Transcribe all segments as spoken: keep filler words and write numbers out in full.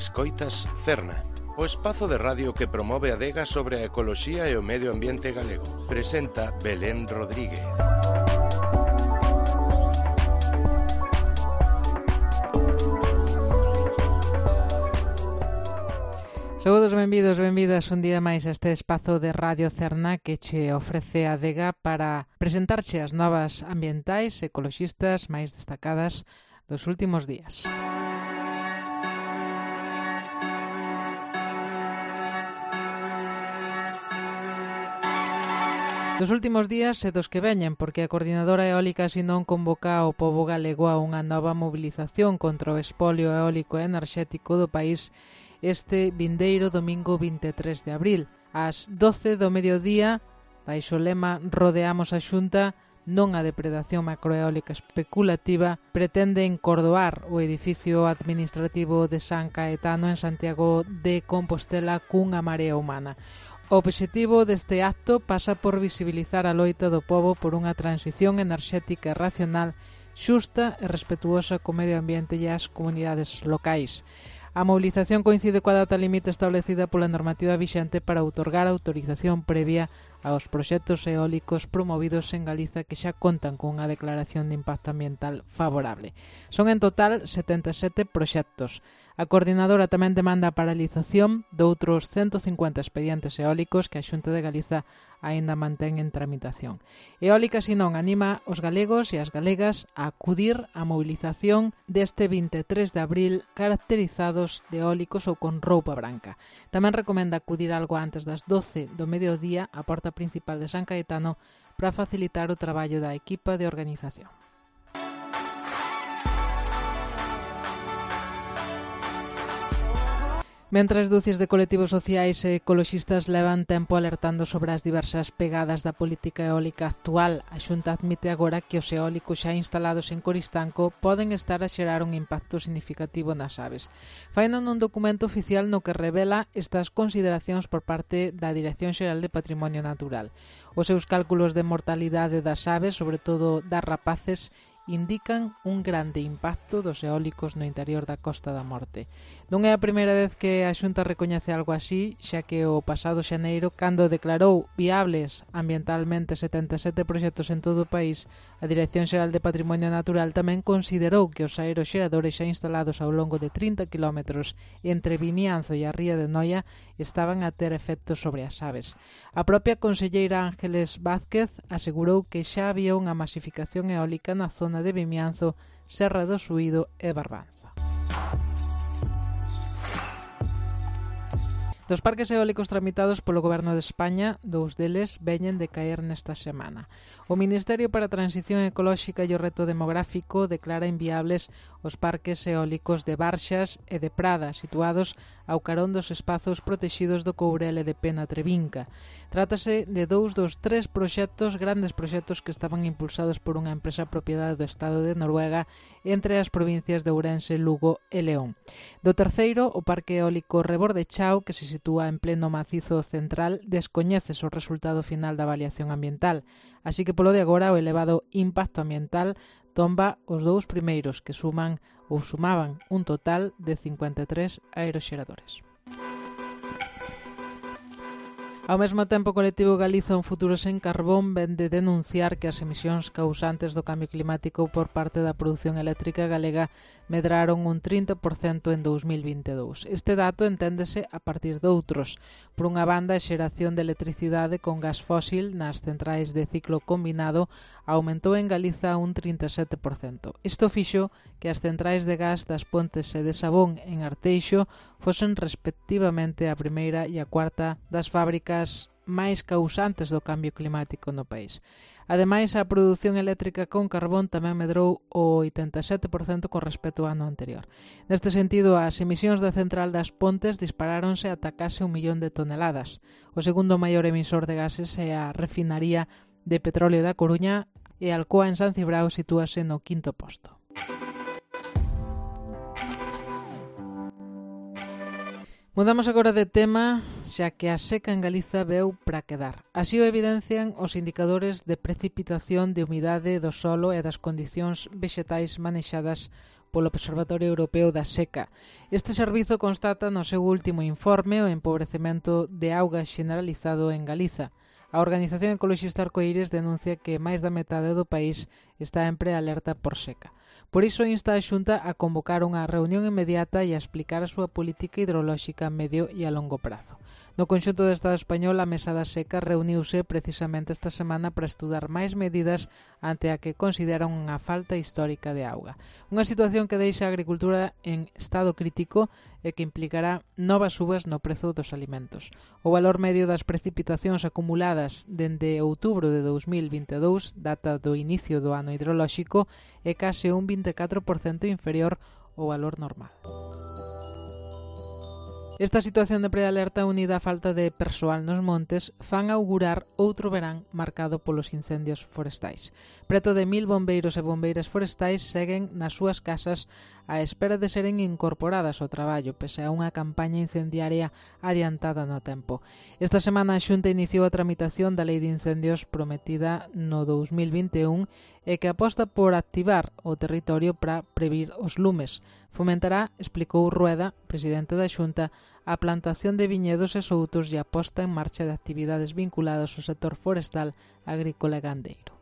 Escoitas Cerna, o espazo de radio que promove a adega sobre a ecoloxía e o medio ambiente galego. Presenta Belén Rodríguez. Saúdos, benvidos, benvidas un día máis a este espazo de Radio Cerna que che ofrece a adega para presentarche as novas ambientais ecoloxistas máis destacadas dos últimos días. Dos últimos días e dos que veñen, porque a Coordinadora Eólica Sinón convoca ao pobo galego a unha nova mobilización contra o espolio eólico e enerxético do país este vindeiro domingo vinte e tres de abril. Ás doce do mediodía, baixo o lema Rodeamos a Xunta, non a depredación macroeólica especulativa, pretende encordoar o edificio administrativo de San Caetano en Santiago de Compostela cunha marea humana. O obxectivo deste acto pasa por visibilizar a loita do pobo por unha transición enerxética racional, xusta e respetuosa co medio ambiente e as comunidades locais. A mobilización coincide coa data limite establecida pola normativa vixente para outorgar autorización previa aos proxectos eólicos promovidos en Galiza que xa contan cunha declaración de impacto ambiental favorable. Son en total setenta e sete proxectos. A coordinadora tamén demanda a paralización de outros ciento cincuenta expedientes eólicos que a Xunta de Galiza aínda mantén en tramitación. Eólica Sinón anima os galegos e as galegas a acudir á mobilización deste vinte e tres de abril caracterizados de eólicos ou con roupa branca. Tamén recomenda acudir algo antes das doce do mediodía á porta principal de San Caetano para facilitar o traballo da equipa de organización. Mentres ducias de colectivos sociais e ecoloxistas levan tempo alertando sobre as diversas pegadas da política eólica actual, a Xunta admite agora que os eólicos xa instalados en Coristanco poden estar a xerar un impacto significativo nas aves. Faino nun documento oficial no que revela estas consideracións por parte da Dirección Xeral de Patrimonio Natural. Os seus cálculos de mortalidade das aves, sobre todo das rapaces, indican un grande impacto dos eólicos no interior da Costa da Morte. Non é a primeira vez que a Xunta recoñece algo así, xa que o pasado xaneiro, cando declarou viables ambientalmente setenta e sete proxectos en todo o país, a Dirección Xeral de Patrimonio Natural tamén considerou que os aeroxeradores xa instalados ao longo de trinta quilómetros entre Vimianzo e a Ría de Noia estaban a ter efectos sobre as aves. A propia conselleira Ángeles Vázquez asegurou que xa había unha masificación eólica na zona de Vimianzo, Serra do Suído e Barbanza. Dos parques eólicos tramitados polo Goberno de España, dous deles veñen de caer nesta semana. O Ministerio para a Transición Ecolóxica e o Reto Demográfico declara inviables os parques eólicos de Barxas e de Prada, situados ao carón dos espazos protexidos do Courel e de Pena Trevinca. Trátase de dous dos tres proxectos, grandes proxectos que estaban impulsados por unha empresa propiedade do Estado de Noruega entre as provincias de Ourense, Lugo e León. Do terceiro, o Parque Eólico Rebordechao, que se sitúa en pleno macizo central, descoñécese o resultado final da avaliación ambiental, así que polo de agora o elevado impacto ambiental tomba os dous primeiros, que suman ou sumaban un total de cincuenta e tres aeroxeradores. Ao mesmo tempo, o colectivo Galiza Un Futuro Sen Carbón ven de denunciar que as emisións causantes do cambio climático por parte da produción eléctrica galega medraron un trinta por cento en dous mil vinte e dous. Este dato enténdese a partir de outros. Por unha banda, a xeración de electricidade con gas fósil nas centrais de ciclo combinado aumentou en Galiza un trinta e sete por cento. Isto fixo que as centrais de gas das Pontes e de Sabón en Arteixo fosen respectivamente a primeira e a cuarta das fábricas máis causantes do cambio climático no país. Ademais, a produción eléctrica con carbón tamén medrou o oitenta e sete por cento con respecto ao ano anterior. Neste sentido, as emisións da central das Pontes disparáronse ata case un millón de toneladas. O segundo maior emisor de gases é a refinaría de petróleo da Coruña e Alcoa en San Cibrao sitúase no quinto posto. Mudamos agora de tema, xa que a seca en Galiza veu para quedar. Así o evidencian os indicadores de precipitación, de humidade do solo e das condicións vexetais manexadas polo Observatorio Europeo da Seca. Este servizo constata no seu último informe o empobrecemento de auga xeneralizado en Galiza. A Organización Ecoloxista Arcoíris denuncia que máis da metade do país está en prealerta por seca. Por iso insta a Xunta a convocar unha reunión inmediata e a explicar a súa política hidrolóxica a medio e a longo prazo. No conxunto do Estado español, a Mesa da Seca reuniuse precisamente esta semana para estudar máis medidas ante a que consideran unha falta histórica de auga. Unha situación que deixa a agricultura en estado crítico e que implicará novas subas no prezo dos alimentos. O valor medio das precipitacións acumuladas dende outubro de dous mil vinte e dous, data do inicio do ano hidrolóxico, é case un vinte e catro por cento inferior ao valor normal. Esta situación de prealerta unida á falta de persoal nos montes fan augurar outro verán marcado polos incendios forestais. Preto de mil bombeiros e bombeiras forestais seguen nas súas casas á espera de seren incorporadas ao traballo, pese a unha campaña incendiaria adiantada no tempo. Esta semana a Xunta iniciou a tramitación da Lei de Incendios prometida no dous mil vinte e un e que aposta por activar o territorio para previr os lumes. Fomentará, explicou Rueda, presidente da Xunta, a plantación de viñedos e soutos e a posta en marcha de actividades vinculadas ao sector forestal, agrícola e gandeiro.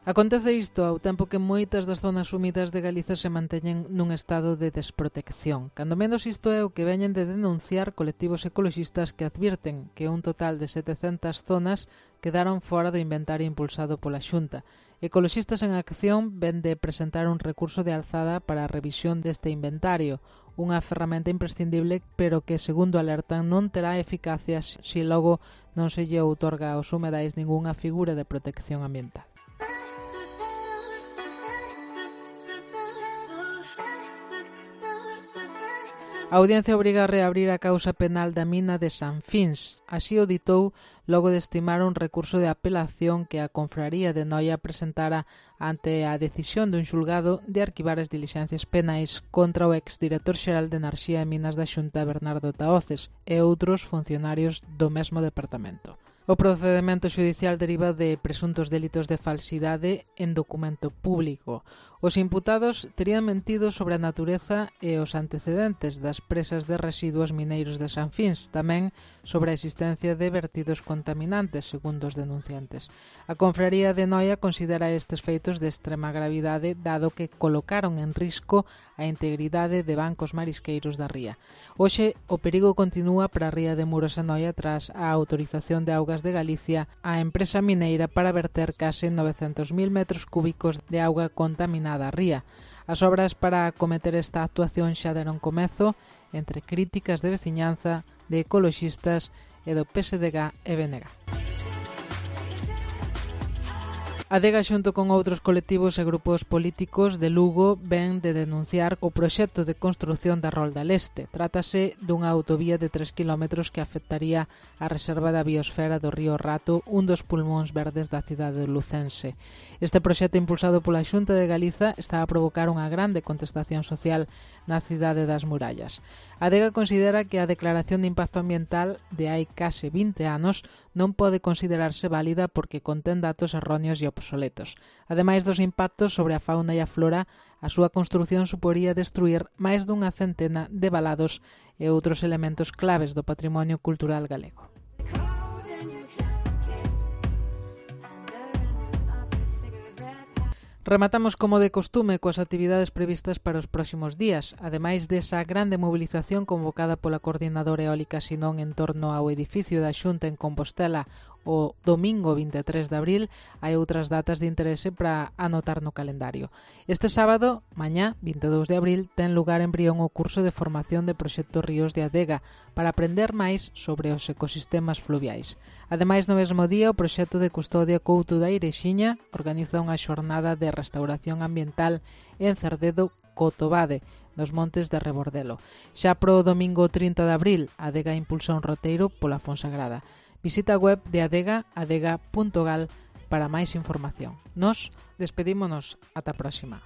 Acontece isto ao tempo que moitas das zonas húmidas de Galiza se manteñen nun estado de desprotección. Cando menos isto é o que veñen de denunciar colectivos ecoloxistas que advirten que un total de setecentas zonas quedaron fora do inventario impulsado pola Xunta. Ecoloxistas en Acción ven de presentar un recurso de alzada para a revisión deste inventario, unha ferramenta imprescindible pero que, segundo alertan, non terá eficacia se logo non se lle outorga aos humedais ningunha figura de protección ambiental. A Audiencia obriga a reabrir a causa penal da mina de Sanfins. Así o ditou logo de estimar un recurso de apelación que a Confraría de Noia presentara ante a decisión dun xulgado de arquivar as dilixencias penais contra o exdirector xeral de Enerxía e Minas da Xunta, Bernardo Tahoces, e outros funcionarios do mesmo departamento. O procedemento xudicial deriva de presuntos delitos de falsidade en documento público. Os imputados terían mentido sobre a natureza e os antecedentes das presas de residuos mineiros de Sanfins, tamén sobre a existencia de vertidos contaminantes, segundo os denunciantes. A Confraría de Noia considera estes feitos de extrema gravidade, dado que colocaron en risco a integridade de bancos marisqueiros da ría. Hoxe, o perigo continúa para a ría de Muros e Noia tras a autorización de augas de Galicia á empresa mineira para verter case novecentos mil metros cúbicos de auga contaminada á ría. As obras para acometer esta actuación xa deron comezo entre críticas de veciñanza, de ecoloxistas e do P S D G e B N G. A Adega, xunto con outros colectivos e grupos políticos de Lugo, ven de denunciar o proxecto de construción da Rolda Leste. Trátase dunha autovía de tres kilómetros que afectaría a reserva da biosfera do río Rato, un dos pulmóns verdes da cidade lucense. Este proxecto impulsado pola Xunta de Galiza está a provocar unha grande contestación social na cidade das Murallas. A Adega considera que a declaración de impacto ambiental de hai case vinte anos non pode considerarse válida porque contén datos erróneos e obsoletos. Ademais dos impactos sobre a fauna e a flora, a súa construción suporía destruir máis dunha centena de valados e outros elementos claves do patrimonio cultural galego. Rematamos como de costume coas actividades previstas para os próximos días. Ademais desa grande mobilización convocada pola Coordinadora Eólica Sinón en torno ao edificio da Xunta en Compostela o domingo vinte e tres de abril, hai outras datas de interese para anotar no calendario. Este sábado, mañá, vinte e dous de abril, ten lugar en Brión o curso de formación de Proxecto Ríos de Adega para aprender máis sobre os ecosistemas fluviais. Ademais, no mesmo día, o Proxecto de Custodia Couto da Irexiña organiza unha xornada de restauración ambiental en Cerdedo, Cotobade, nos montes de Rebordelo. Xa pro domingo trinta de abril, a Adega impulsa un roteiro pola Fonsagrada. Visita a web de Adega, adega punto gal, para máis información. Nos despedímonos ata a próxima.